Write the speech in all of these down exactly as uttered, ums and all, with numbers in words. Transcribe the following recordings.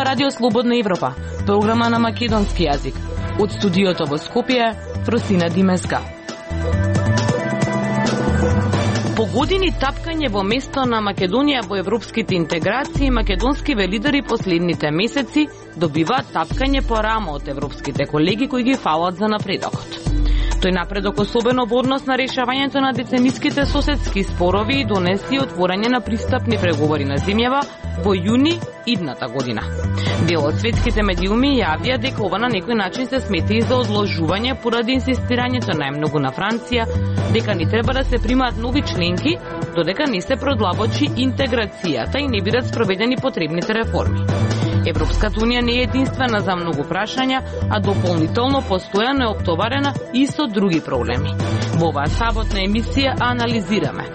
Радио Слободна Европа, програма на македонски јазик. Од студиото во Скопје, Фросина Димеска. По години тапкање во место на Македонија во европските интеграции, македонскиве лидери последните месеци добиваат тапкање по рамо од европските колеги кои ги фалат за напредокот. Тој напредок особено во однос на решавањето на децениските соседски спорови и донеси отворање на пристапни преговори на земјава во јуни идната година. Дел од светските медиуми јавија дека ова на некој начин се смети и за одложување поради инсистирањето најмногу на Франција дека ни треба да се примаат нови членки, додека не се продлабочи интеграцијата и не бидат спроведени потребните реформи. Европската унија не е единствена за многу прашања, а дополнително постојано е оптоварена и со други проблеми. Во оваа саботна емисија анализираме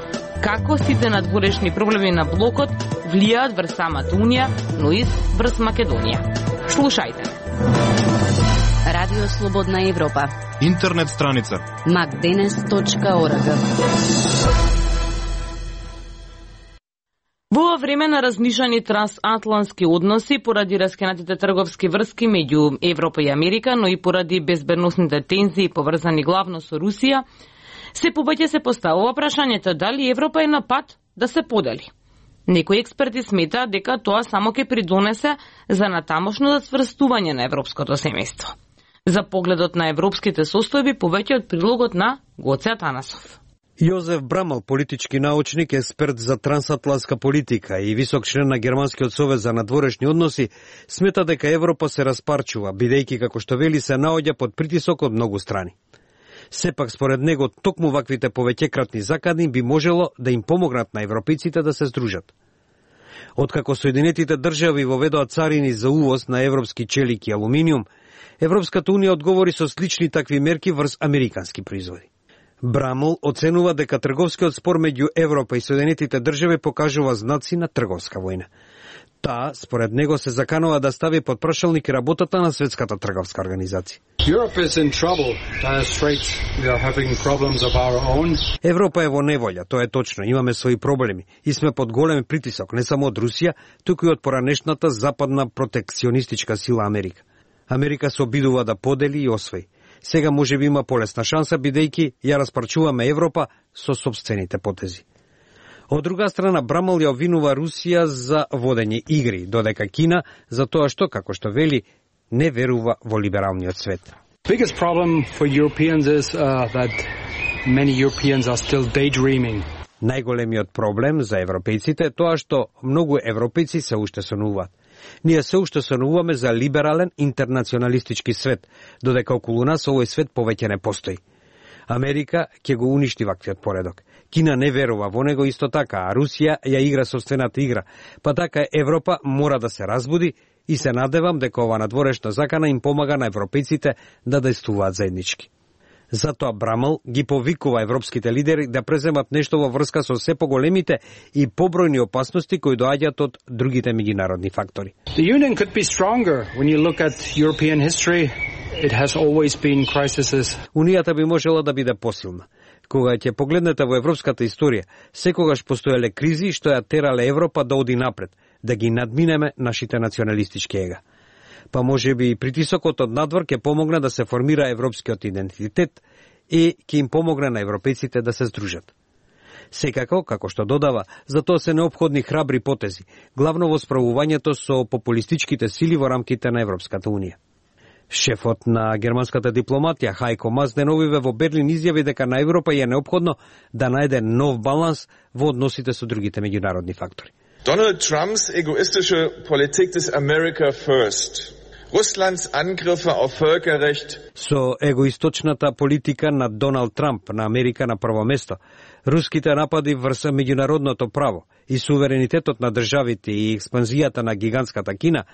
како сите надворешни проблеми на блокот влијаат врз самата Унија, но и врз Македонија. Слушајте. Радио Слободна Европа. Интернет страница макденес точка орг. Во ова време на разнишани трансатлантски односи поради раскинатите трговски врски меѓу Европа и Америка, но и поради безбедносните тензии поврзани главно со Русија, се повеќе се поставува прашањето дали Европа е на пат да се подели. Некои експерти сметаат дека тоа само ќе придонесе за натамошно зацврстување на европското семејство. За погледот на европските состојби повеќе од прилогот на Гоце Атанасов. Јозеф Брамал, политички научник, експерт за трансатлантска политика и висок член на Германскиот совет за надворешни односи, смета дека Европа се распарчува, бидејќи како што вели се наоѓа под притисок од многу страни. Сепак, според него, токму ваквите повеќекратни закани би можело да им помогнат на европејците да се здружат. Откако Соединетите држави воведоа царини за увоз на европски челик и алуминиум, Европската унија одговори со слични такви мерки врз американски производи. Брамл оценува дека трговскиот спор меѓу Европа и Соединетите држави покажува знаци на трговска војна. Таа, според него, се заканува да стави под прашалник работата на Светската трговска организација. Европа е во неволја, тоа е точно, имаме своји проблеми и сме под голем притисок, не само од Русија, туку и од поранешната западна протекционистичка сила Америка. Америка се обидува да подели и освои. Сега може би има полесна шанса, бидејќи ја распарчуваме Европа со собствените потези. Од друга страна, Брамал ја обвинува Русија за водење игри, додека Кина за тоа што, како што вели, не верува во либералниот свет. Biggest problem for Europeans is uh, that many Europeans are still daydreaming. Најголемиот проблем за европејците е тоа што многу европејци се уште сонуваат. Ние се уште сонуваме за либерален интернационалистички свет, додека околу нас овој свет повеќе не постои. Америка ќе го уништи ваквиот поредок. Кина не верува во него исто така, а Русија ја игра собствената игра. Па така Европа мора да се разбуди и се надевам дека ова надворешна закана им помага на европејците да действуваат заеднички. Затоа Брамал ги повикува европските лидери да преземат нешто во врска со се поголемите и побројни опасности кои доаѓаат од другите меѓународни фактори. The union could be stronger when you look at European history. It has always been crises. Унијата би можела да биде посилна. Кога ќе погледнете во европската историја, секогаш постоеле кризи што ја терале Европа да оди напред, да ги надминеме нашите националистички ега. Па може би и притисокот од надвор ќе помогне да се формира европскиот идентитет и ќе им помогне на европејците да се здружат. Секако, како што додава, за тоа се неопходни храбри потези, главно во справувањето со популистичките сили во рамките на Европската унија. Шефот на германската дипломатија Хајко Мас деновиве во Берлин изјави дека на Европа е неопходно да најде нов баланс во односите со другите меѓународни фактори. Donald Trumps egoistische Politik des America First. Russlands Angriffe auf Völkerrecht. Со егоисточната политика на Доналд Трамп на Америка на прво место, руските напади врз меѓународното право и суверенитетот на државите и експанзијата на гигантската Кина,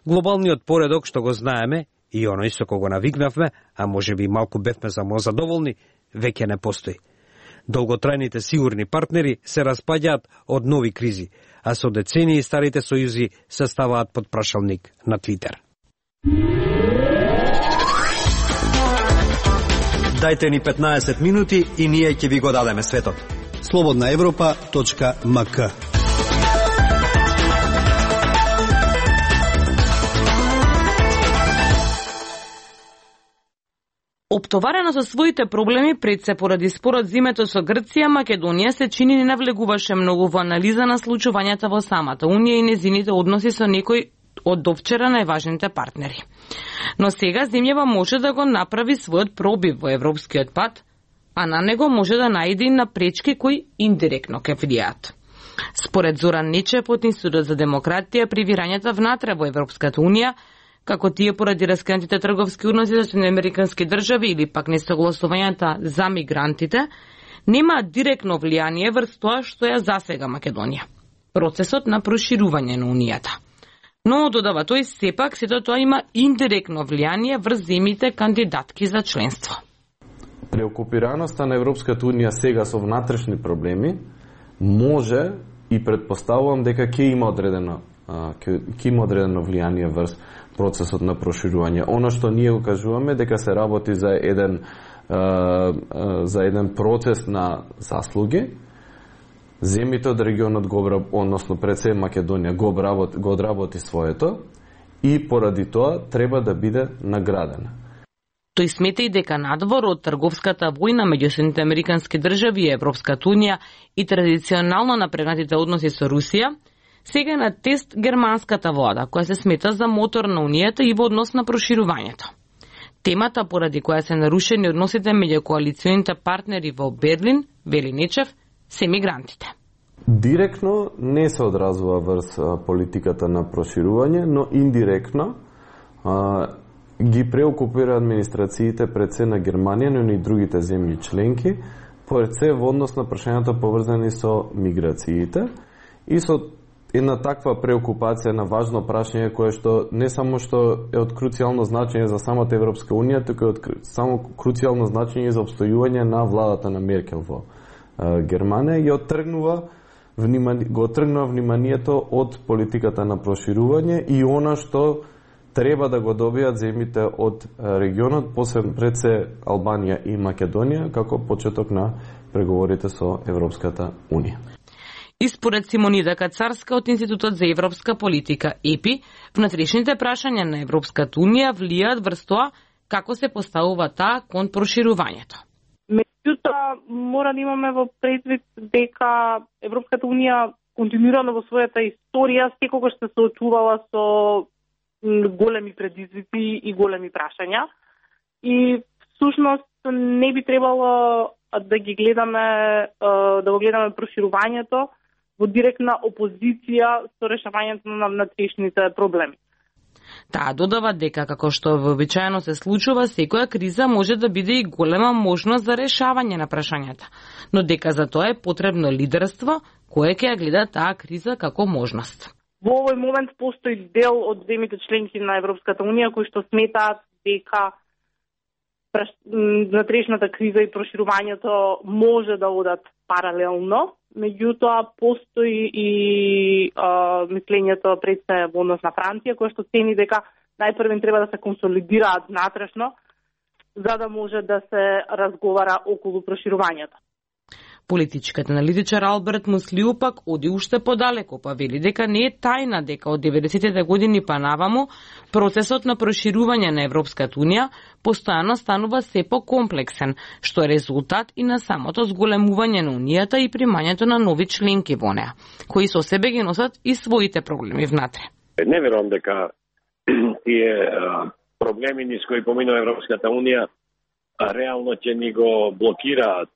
глобалниот поредок што го знаеме и оној со кого навикнавме, а може би малку бевме самозадоволни, веќе не постои. Долготрајните сигурни партнери се распаѓаат од нови кризи, а со децении старите сојузи се ставаат под прашалник на Твитер. Дајте ни петнаесет минути и ние ќе ви го дадеме светот. слободна европа точка м к Оптоварена со своите проблеми пред се поради спорот зимето со Грција, Македонија се чини не навлегуваше многу во анализа на случувањата во самата Унија и незините односи со некој од довчера најважните партнери. Но сега земјава може да го направи својот пробив во европскиот пат, а на него може да најде и на пречки кои индиректно ке влијаат. Според Зоран Нечев од Институтот за демократија при вирањата внатре во Европската Унија, како тие поради раскинатите трговски односи со американски држави или пак несогласувањата за мигрантите, немаат директно влијание врз тоа што ја засега Македонија, процесот на проширување на Унијата. Но, додава тој, сепак сето тоа има индиректно влијание врз земјите кандидатки за членство. Преокупираноста на Европската Унија сега со внатрешни проблеми може и предпоставувам дека ќе има одредено ќе има одредено влијание врз процесот на проширување. Оно што ние го кажуваме дека се работи за еден за еден процес на заслуги. Земјите од регионот го односно пред се Македонија го одработи, го одработи своето и поради тоа треба да биде наградена. Тој смета и дека надвор од трговската војна меѓу Соединетите американски држави и Европската Унија и традиционално напрегнатите односи со Русија, сега е на тест германската влада, која се смета за мотор на Унијата и во однос на проширувањето. Темата поради која се нарушени односите меѓу коалиционите партнери во Берлин, вели Нечев, се мигрантите. Директно не се одразува врз политиката на проширување, но индиректно а, ги преокупира администрациите пред се на Германија, но и другите земји членки, пред се во однос на прашањата поврзани со миграциите и со една таква преокупација на важно прашање кое што не само што е од круцијално значење за самата Европска Унија, туку е од само круцијално значење за обстојување на владата на Меркел во Германија и оттргнува внимание, го оттргнува вниманието од политиката на проширување и она што треба да го добијат земјите од регионот, посебно пред се Албанија и Македонија, како почеток на преговорите со Европската Унија. И според Симонида Кацарска од Институтот за европска политика ЕПИ, внатрешните прашања на Европската Унија влијаат врз тоа како се поставува таа кон проширувањето. Меѓутоа, мора да имаме во предвид дека Европската Унија континуирано во својата историја секогаш се соочувала со големи предизвици и големи прашања. И всушност не би требало да ги гледаме, да го гледаме проширувањето во директна опозиција со решавањето на внатрешните проблеми. Таа додава дека, како што вообичаено се случува, секоја криза може да биде и голема можност за решавање на прашањата, но дека за тоа е потребно лидерство кое ќе ја гледа таа криза како можност. Во овој момент постои дел од земјите членки на Европската Унија кои што сметаат дека внатрешната криза и проширувањето може да одат паралелно, меѓутоа постои и а, мислењето пред се во однос на Франција, која што цени дека најпрвен треба да се консолидираат внатрешно, за да може да се разговара околу проширувањето. Политичката аналитичар Алберт Муслиу пак оди уште подалеку, па вели дека не е тајна дека од деветдесетите години па наваму процесот на проширување на Европската Унија постојано станува се покомплексен, што е резултат и на самото зголемување на Унијата и примањето на нови членки во неа, кои со себе ги носат и своите проблеми внатре. Не верувам дека тие проблеми низ кои поминува Европската Унија реално ќе ни го блокираат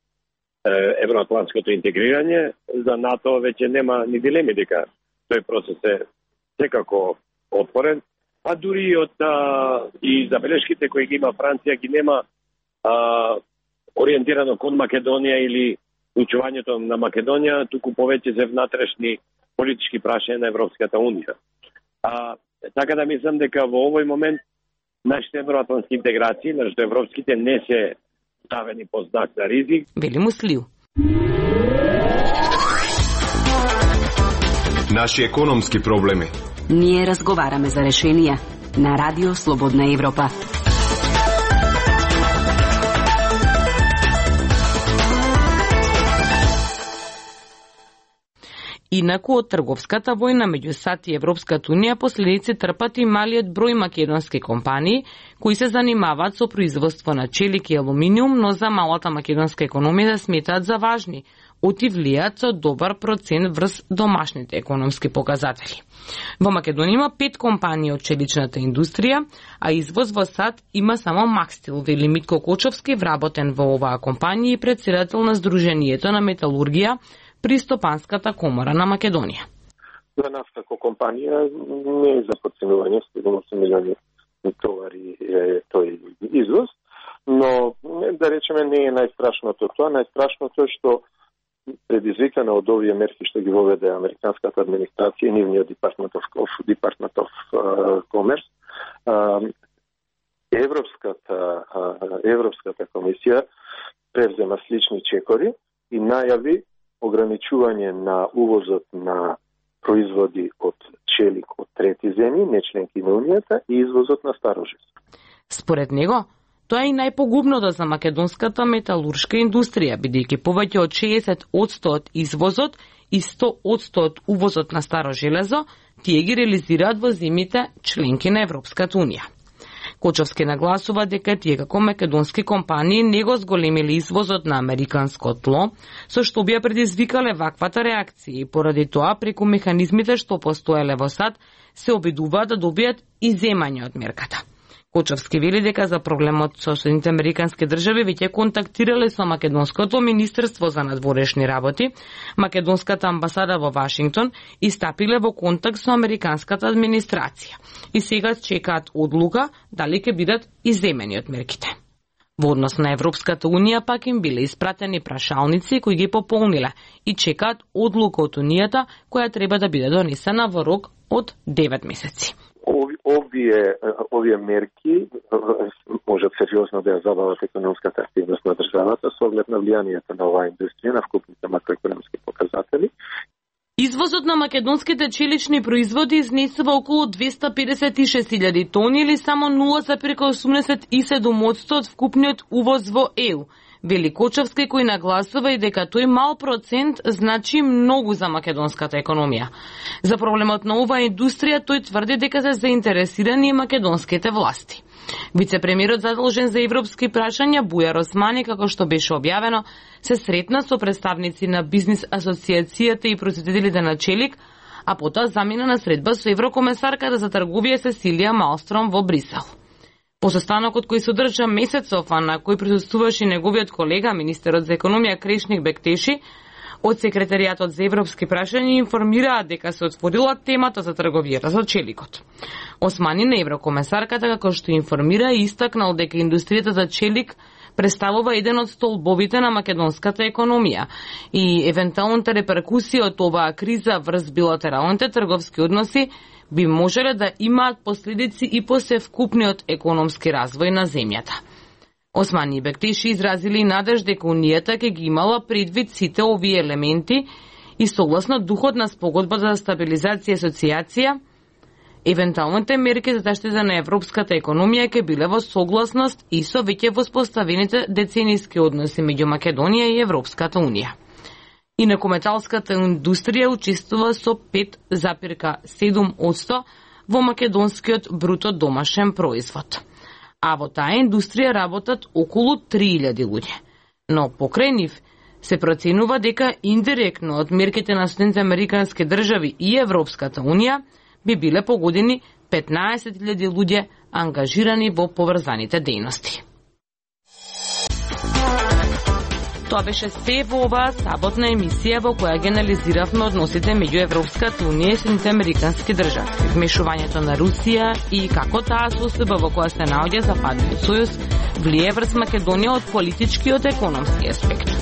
евроатлантското интегрирање. За НАТО веќе нема ни дилеми дека тој процес е секако отворен, а дури и од а, и забелешките кои ги има Франција ги нема а, ориентирано кон Македонија или учувањето на Македонија, туку повеќе се внатрешни политички прашања на Европската Унија. А, така да мислам дека во овој момент нашите евроатлантски интеграции, нашите европските, не се ставени под знак на ризик. Вели Муслиу. Наши економски проблеми. Ние разговараме за решенија на Радио Слободна Европа. Инаку од трговската војна меѓу САД и Европската унија последици трпат и малиот број македонски компании кои се занимаваат со производство на челик и алуминиум, но за малата македонска економија да сметаат за важни, оти влијаат со добар процент врз домашните економски показатели. Во Македонија има пет компании од челичната индустрија, а извоз во САД има само Макстил, вели Митко Кочовски, вработен во оваа компанија и председател на Сдруженијето на металургија при Стопанската комора на Македонија. За нас како компанија не е за подценување, седумдесет милиони товари е тој извоз, но да речеме не е најстрашното тоа. Најстрашното е што предизвикано од овие мерки што ги воведе американската администрација и нивниот Department of, Department of uh, Commerce, uh, Европската, uh, Европската комисија превзема слични чекори и најави ограничување на увозот на производи од челик од трети земји, не членки на Унијата, и извозот на старожес. Според него, тоа е и најпогубното за македонската металуршка индустрија, бидејќи повеќе од шеесет одсто од извозот и сто одсто од увозот на старо железо тие ги реализираат во земјите членки на Европската унија. Кочовски нагласува дека тие како македонски компании не го зголемиле извозот на американско тло, со што би ја предизвикале ваквата реакција и поради тоа преку механизмите што постоеле во САД се обидуваат да добијат иземање од мерката. Кочовски вели дека за проблемот со Соединетите Американски држави веќе контактирале со Македонското министерство за надворешни работи, Македонската амбасада во Вашингтон и стапиле во контакт со американската администрација и сега чекаат одлука дали ќе бидат иземени од мерките. Во однос на Европската унија пак им биле испратени прашалници кои ги пополниле и чекаат одлука од Унијата која треба да биде донесена во рок од девет месеци. Овие, овие мерки можат сериозно да ја забават економската активност на државата со оглед на влијанието на оваа индустрија на вкупните макроекономски показатели. Извозот на македонските челични производи изнесува околу двесте педесет и шест илјади тони или само нула зарез осумдесет и седум одсто од вкупниот увоз во Е У. Вели Кочовски, кој нагласува и дека тој мал процент значи многу за македонската економија. За проблемот на оваа индустрија тој тврди дека се заинтересирани и македонските власти. Вице-премиерот задолжен за европски прашања Бујар Османи, како што беше објавено, се сретна со представници на бизнис асоциацијата и производителите на челик, а потоа замина на средба со еврокомесарката за трговија Сесилија Малстром во Брисел. По состанокот кој се одржа месецов, а на кој присуствуваше неговиот колега, министерот за економија Крешник Бектеши, од секретаријатот за европски прашања информираат дека се отворила темата за трговијата со челикот. Османи на еврокомесарката, како што информира, истакнал дека индустријата за челик представува еден од столбовите на македонската економија и евентуалната реперкусија од оваа криза врз билатералните трговски односи би можеле да имаат последици и по севкупниот економски развој на земјата. Османи и Бектеши изразили надеж дека Унијата ќе ги имала предвид сите овие елементи и согласно духот на спогодбата за стабилизација и асоциација, евентуалните мерки за заштита на европската економија ќе биле во согласност и со веќе воспоставените деценијски односи меѓу Македонија и Европската унија. Инаку металската индустрија учествува со пет зарез седум одсто во македонскиот бруто домашен производ. А во таа индустрија работат околу три илјади луѓе. Но покрај нив се проценува дека индиректно од мерките на Соединетите Американски држави и Европската унија би биле погодени петнаесет илјади луѓе ангажирани во поврзаните дејности. Тоа беше се во оваа саботна емисија во која ги анализиравме односите меѓу Европската унија и Соединетите Американски држави, вмешувањето на Русија и како таа состојба во која се наоѓа Западниот сојуз влие врз Македонија од политички и од економски аспект.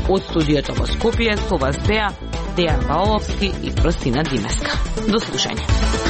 Од студиото во Скопје со вас беа Дејан Баловски и Простина Димеска. До слушање.